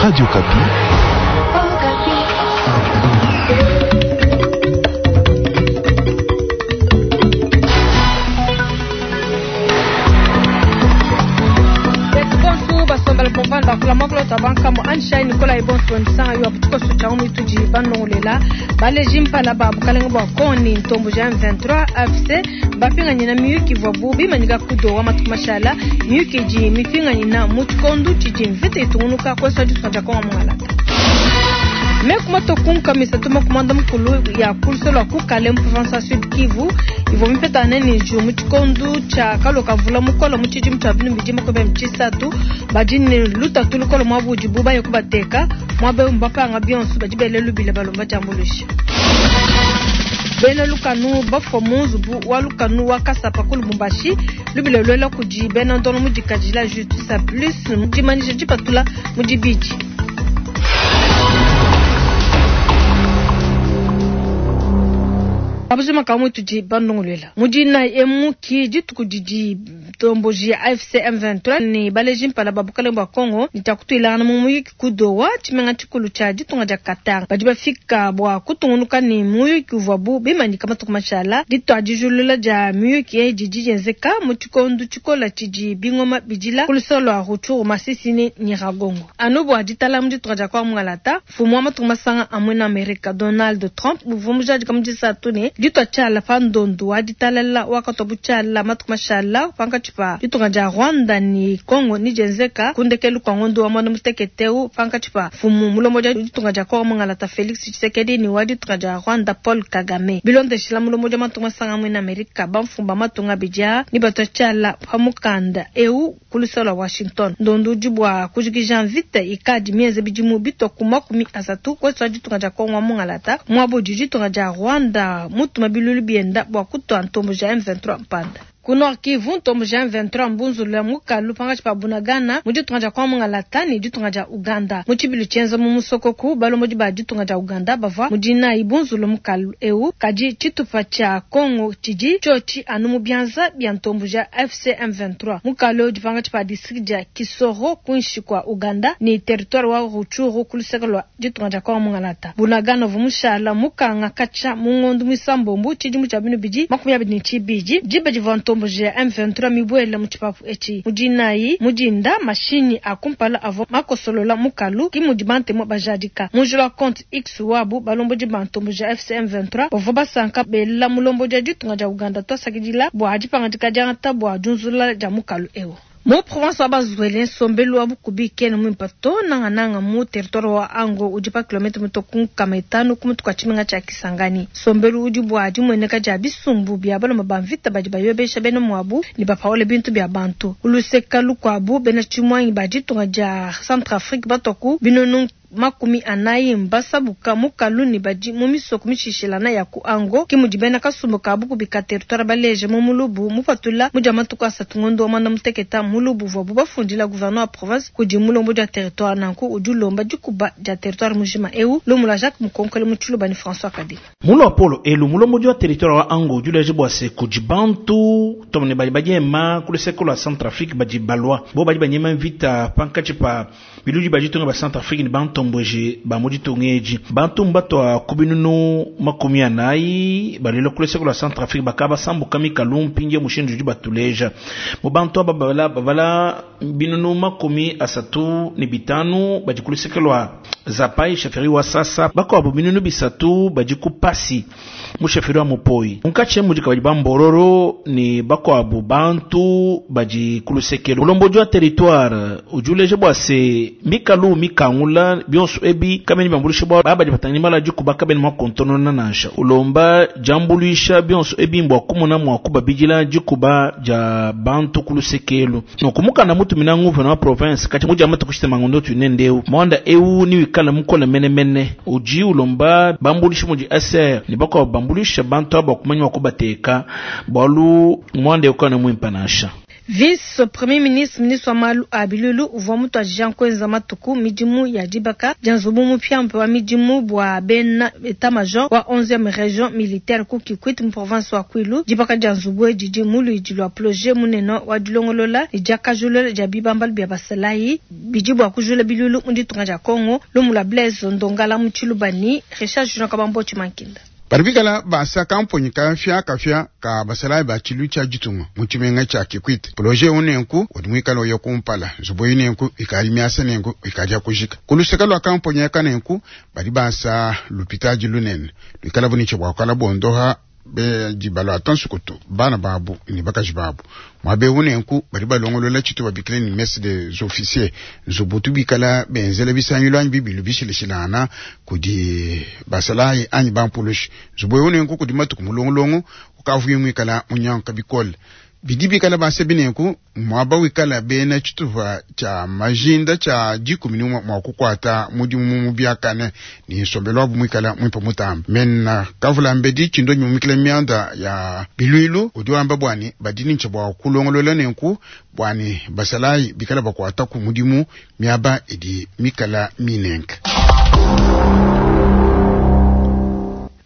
Radio Okapi. Bonsu basombela pomvanda bakula mwakula tabanka Anshai Nicolas Ebonso nsanga yo tshikoso tshia mu tudi banongolela baleji mpala ba bukalenge bwa koni ntombo ja M23 AFC bapinganyina miyuki ivwabu bimanyika kudowa matuku mashala miyuki idi mipinganyina mu tshikondo tshidi mvita itungunuka kwesa ditunga dia Kongo mungalata. Meku matokunka misatu makumanda mukulu ya kuluselo lwa kukale mu province ya Sud Kivu ivua mipetane ne njiwu mu tshikondo tshia kaloka mvula mukole mu tshidimu tshia binu bidi makumi tshisatu badi ne lutatu lukole muaba udibu baye kubateka muaba eu mbapanga bionso badi bele lubila balomba diambuluisha. Bena lukanu bafua mu nzubu wa lukanu wa Kasapa ku Lubumbashi lubila luela kudi bena ndongo mu dikadila Justice Plus mu dimanyisha dipatula mu dibidi. Abuzima kamwe tudi bandongoluela mudina emu ki dituku didi ntomboji ya AFC M23 ne baleji mpala ba bukalenge bwa Congo nitakutuilangana mu muyuki ku Doha tshimenga tshikulu tshia ditunga dia Qatar badi bafika bua kutungunuka ne muyuki uvuabu bimanyika matuku mashala dituadijulula dia miyuki eyi didi dienzeka mu tshikondo tshikola tshidi bingoma bidila ku lusolo lua Rutshuru Masisi ne Nyiragongo anu bua ditala mu ditunga dia Kongo mungalata mfumu wa matuku masanga a muena Amerika Donald Trump uvua mujadika mu disatu ne ditua tshiala pa ndondu wa ditalala wakatwa butshiala matuku mashala pankatshi pa ditunga dia Rwanda ne Congo ne dienzeka ku ndekelu kua ngondo wa muanda mutekete eu pankatshi pa mfumu mulombodi wa ditunga dia Kongo mungalata Felix Tshisekedi ne wa ditunga dia Rwanda Paul Kagame. Bilondeshila mulombodi wa matunga masanga a muena Amerika bamfumu ba matunga abidi aa ne batua tshiala pa mukanda eu ku luseke lua Washington. Ndondu udi bua kujikija mvita ikadi mienze bidimu bitua ku 30 kuetu wa ditunga dia Kongo wa mungalata muaba udi ditunga dia Rwanda mutuma bilulu bienda bua kutua ntombo ja M23 mpanda. Ku Nord Kivu, ntombo ja M23 mbunzulula mukalu pankatshi pa Bunagana mu ditunga dia Kongo mungalata ne ditunga dia Uganda. Mu tshibilu tshienza mu musokoku, balombodi ba ditunga dia Uganda bavua mu dinayi bunzulu mukalu eu, kadi tshitupa tshia Kongo tshidi tshiotshi anu mu bianza bia ntombo ja AFC M23. Mukalu eu udi pankatshi pa district dia Kisoro kuinshi kua Uganda ne territoire wa Rutshuru ku luseke lua ditunga dia Kongo mungalata. Bunagana uvua mushala mukanga katshia mu ngondo muisambombo tshidimu tshia binu bidi 22 diba divua ntombo ya M23 mibuele mu tshipapu etshi. Mu dinayi mu dinda mashinyi a kumpala avua makosolola mukalu ki mudi bantemu bajadika. Mu njila wa compte X wabu balombodi ba ntombo ya AFC M23 bavua basanka bela mulombodi wa ditunga dia Uganda tuasakidila bua dipangadika diangata bua diunzulula dia mukalu eu. Mu province wa Bas-Uele nsombelu wa bukubi kena muimpe to nangananga mu territoire wa Ango udi pa kilomètre mitue ku 500 ku mutu kua tshimenga tshia Kisangani. Nsombelu udi bua dimueneka dia bisumbu bia balume ba mvita badi bayobesha bena muabu ne bapaula bintu bia bantu. Ku luseka lukuabu bena tshimuangi ba ditunga dia Centrafrique batua ku binunu 40 mbasabuka mukalu ne badi mu misoko mishishilana ya ku Ango ki mudi bena kasumbu ka bukubi ka territoire baleje mu mulubu mupatula mu dia matuku asatu ngondo wa muanda mutekete mulubu uvuabu bafundila gouverneur wa province kudi mulombodi wa territoire nanku udi ulomba dikuba dia territoire mujima eu lumu lua Jacques Mukonkole mu Tshiluba ne François Kadima. Mu luapolo elu mulombodi wa territoire wa Ango udi uleja bua se kudi bantu too ne badi badiema ku luseke lua Centrafrique badi balua bo badi banyema mvita pankatshi pa biludi bia ditunga bia Centrafrique ne bantomboji ba mu ditunga edi. Bantu mbatua ku binunu 40 baluila ku luseke lua Centrafrique bakaba basambuka mikalu mpindieu mushindu udi batuleja. Mu bantu aba babala, babala binunu 35 badi ku luseke lua Zapai chefferie wa Sasa, bakuabu binunu 3 badi ku Pasi mu chefferie wa Mupoi. Munkatshi mudi kabadi ba Mbororo ne bakuabu bantu badi ku luseke. Mulombodi wa territoire udi uleja bua se mikalu mikangula bionso ebi kabena biambuluisha bua badi batangila mala dikuba kabena mua kukontonona nansha. Ulomba diambuluisha bionso ebi mbua kumona mua kubabidila dikuba dia bantu ku lusekelu. Nunku mukanda mutumina nguvena wa province kati mudi amatuku shitema ngondo tunendeu mwanda eu ni wikala mukola menemene udi ulomba bambulisha mudi ASR ne bakuabu bambulisha bantu aba kumanya kubateka bualu mwanda eu kana muimpe nansha. Vice Premier ministre, ministre wa malu a biluilu uvua mutuadija kuenza matuku midimu ya dibaka dia nzubu mupiamupia wa midimu bua bena etat-major wa 11e region militaire ku Kikwit mu province wa Kwilu. Dibaka dia nzubu edi didi mu luidi lua projet munene wa dilongolola ne diakajulula dia bibambalu bia basalayi bidi bua kujula biluilu mu ditunga dia Congo. Lumu lua Blaise Ndongala mu Tshiluba ne Richard Junior Kabambo Tshimankinda. Badi bikala basa kamponyi kafiakafia ka basalayi ba tshilu tshia ditunga mu tshimenga tshia Kikwit. Projet eu nenku udi muikale uya kumpala, nzubu eyi nenku ikadi miasa nenku ikadi ya kujika. Ku luseke lua kamponyi aka nenku badi basa lupitadi lunene luikala bu ne tshia bua kuikala bondoha bedi baluata nsukutu bana babu ne bakaji babu. Muaba eu nenku badi balongolola tshitu babikila ne messe des officiers, nzubu utu bikala benzela bisangilu anyi bibilu bishilashilangana kudi basalayi anyi bampulushi. Nzubu eu nenku kudi matuku mulongolongo ukavuye muikala munyanguka bikole. Bidi bikala basebi nenku muaba wikala bena tshitupa tshia majinda tshia 11 mua kukuata mudimu mu biakane ne nsombelu wabu muikala muimpe mutambe. Mena kavulambedi tshindo nyumikila mianda ya biluilu udi wamba bua ne badi ne bua kulongolola nenku bua ne basalayi bikala bakuataku mudimu miaba idi mikala minenke.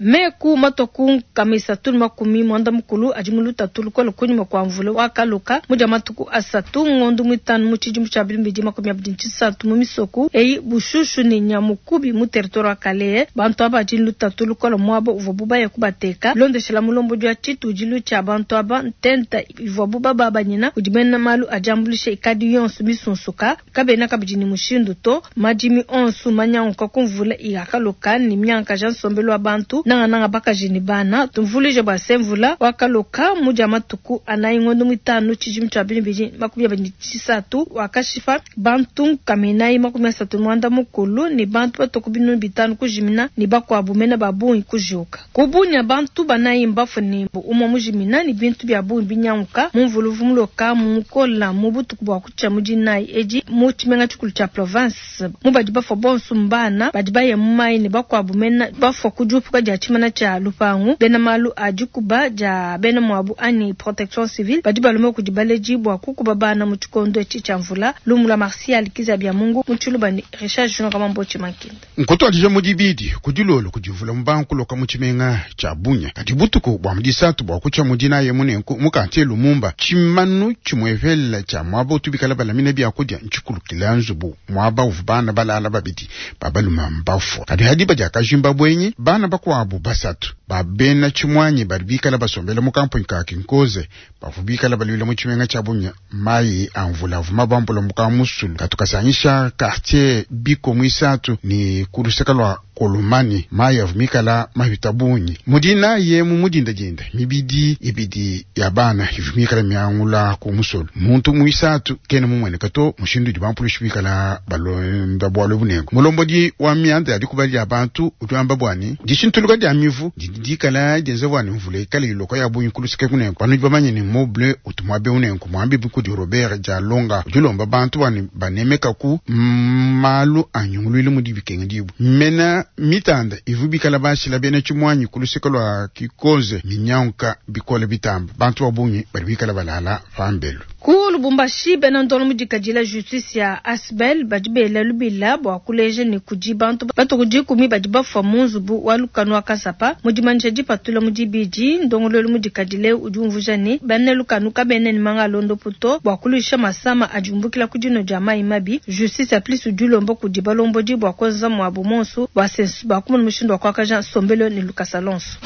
Meku matua ku nkama isatu ne makumi muanda mukulu adi mu lutatu lukole kunyima kua mvula wakaloka mu dia matuku asatu ngondo muitanu mu tshidimu tshia 2023 mu misoku eyi Bushushu ne Nyamukubi mu territoire wa Kalehe. Bantu aba badi ne lutatu lukole muaba uvuabu baya kubateka. Bilondeshela mulombodi wa tshitudilu tshia bantu aba, ntenta ivuabu bababanyina kudi bena malu a diambuluisha ikadi yonso misunsuka. Kabena kabidi ne mushindu to. Madimi onsu manyanguka ku mvula yakaloka ne miangakaja nsombelu wa bantu, nangananga bakaji ne bana. Tumvuluije bua se, mvula wakaloka mu dia matuku anayi ngondo muitanu tshidimu tshia 2023 wakashipa bantu nkama inayi 34 ne bantu batue ku 5000 kujimina ne bakuabu mena ba bungi kujiuka. Ku Bunia bantu banayi mbafue ne umue mujimina ne bintu bia bungi binyanguka mu mvula uvua muloka mukola mu butuku bua kutshia mu dinayi edi mu tshimenga tshikulu tshia province. Mu badi bafua bonso mbana badi baya mu mayi ne bakuabu mena bafua ku diupuka dia tshimana tshia lupangu. Bena malu a dikuba dia bena muabu anyi protection civile badi balomba kudi baledi bua kukuba bana mu tshikondo etshi tshia mvula. Lumu lua Martial Kizabia Mungu mu Tshiluba ne Richard Junior Kamambo Tshimankinda. Nkutuadija mu dibidi ku dilolo kudi mvula mubankuloka mu tshimenga tshia Bunia. Kadi butuku bua mu disatu bua kutshia mu dinayi munenku mu quartier Lumumba, tshimanu tshimuepele tshia muaba utu bikala balamina biakudia ntshikulukila nzubu muaba uvua bana balala babidi ba balume mbafua. Kadi hadiba dia kajimba buenyi, bana bakuabu basatu ba bena tshimuanyi badi bikala basombela mu kamponyi ka Kinkoze bavua bikala baluila mu tshimenga tshia Bunia. Mayi a mvula avua mabambula mu kamusulu katukasangisha quartier Biko muisatu ne ku luseke lua Kolomani. Mayi avua mikala mapita bungi mu dinayi mu mudindadinda mibidi ibidi ya bana ivua mikala miangula ku musulu. Muntu muisatu kena mumueneka to mushindu udi bampulushi bikala balonda bualu bunenku. Mulombodi wa mianda ya dikuba dia bantu udi wamba bua ne dishintuluka dia mivu didi dikala dienza bua ne mvula ikale iloka ya bungi ku luseke kunenku. Banudi bamanye ne moble utu muabe unenku muambi kudi Robert Dialonga udi ulomba bantu bua ne banemeka ku malu a nyunguluilu mudi bikenga dibu. Mena mitanda ivu bikala bashila bena tshimuanyi ku luseke lua Kikoze minyanguka bikole bitamba. Bantu ba bungi badi bikala balala pambelu. Ku Lubumbashi bena ndongo mudikadila justice ya Asbel badi bela lubila bua kuleja ne kudi bantu batu ku dikumi badi bafua mu nzubu wa lukanu wa Kasapa. Mu dimanyisha dipatula mu dibidi, ndongoluelu mudikadile udi umvuija ne bena lukanu kabena ne manga a londopu to bua kuluisha masama adi umbukila ku dino dia mayi mabi. Justice ya plus udi ulomba kudi balombodi bua kuenza muabu monsu bua sensu bua kumona mushindu wa kuakaja nsombelu ne lukasa lonso.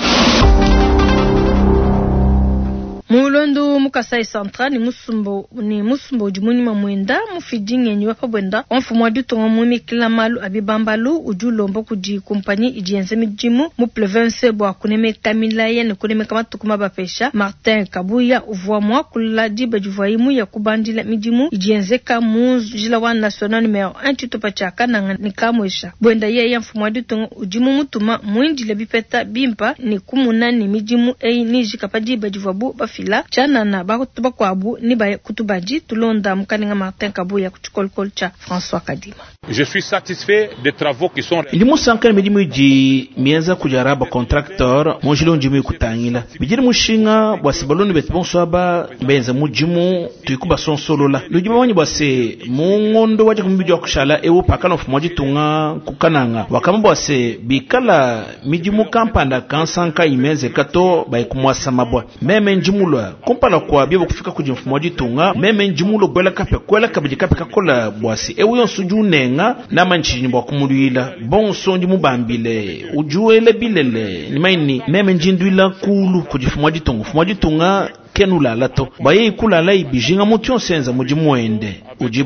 Mu luendu mu Kasai Central ne musumba udi munyima muenda mufidi ngenyi wa pa buenda wa mfumu wa ditunga muimikila malu a bibambalu udi ulomba kudi kumpanyi idi yenza midimu mu province bua kunemeka milayi ne kunemeka matuku mabapesha. Martin Kabuya uvua muakula diba divuaye muya kubandila midimu idi yenzeka mu njila wa national numero 1 tshitupa tshia Kananga ne Kamwesha. Buenda yeye mfumu wa ditunga udi mumutuma muindile bipeta bimpa ne kumuna ne midimu eyi nijika pa diba divuabu bafila tshianana bantu bakuabu ne baya kutubadi. Tulonda mukalenga Martin Kabuya ku tshikolokolo tshia François Kadima. Je suis satisfait des travaux qui sont Ndi musanka ne midimu idi mienza kudi Araba Contractor mu njila undi muikutangila bidi ne mushinga bua se balonda betu bonso aba benza mudimu tuiku basonsolola. Ludi bamanyi bua se mu ngondo wa dikumi wa kushala ewu pakana mfumu wa ditunga kukananga wakamba bua se bikala midimu kampanda kansanka imenzeka to bayikumwasa mabwa. Meme ndimulwa kumpala kwa biobo kufika kudi mfumu wa ditunga, meme ndimulwa kwela kape kwela kabidi kape kakola bua se ewu yonso udi unenga namanyi bua kumuluila bonso ndi mubambile ujuele bilele nimaini meme ndinduila kulu kudi mfumu wa ditunga. Mfumu wa ditunga kenulala to baye ikulala ibijinga mutu yonso enza mudimu wende udi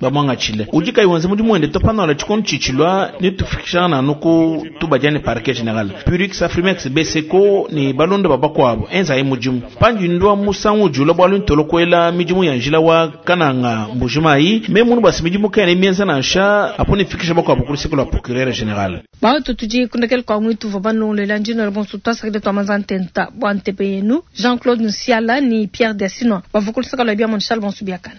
bamuangatshile udi kayi wenza mudimu wende to panola tshikondo tshitshilwa nitufikishana anu ku tubadiane parquet general Purix Afrimex Beseko ni balonda babakwabo enza ye mudimu pandi ndwa musangu ujula bwalu ntolo kwela midimu ya njila wa kananga mbujimayi me munu basi midimu kene mienza nansha apo nifikisha bakwabo ku luseke lwa procureur general. Bato tudi kundekele kwa mwitu vwa banongolela njino la bonso twasakile twamanza ntenta bwa ntepe yenu Jean-Claude Nsiala ni Pierre Desino bavua ku luseke lwa bia Charles Bonso Biakana.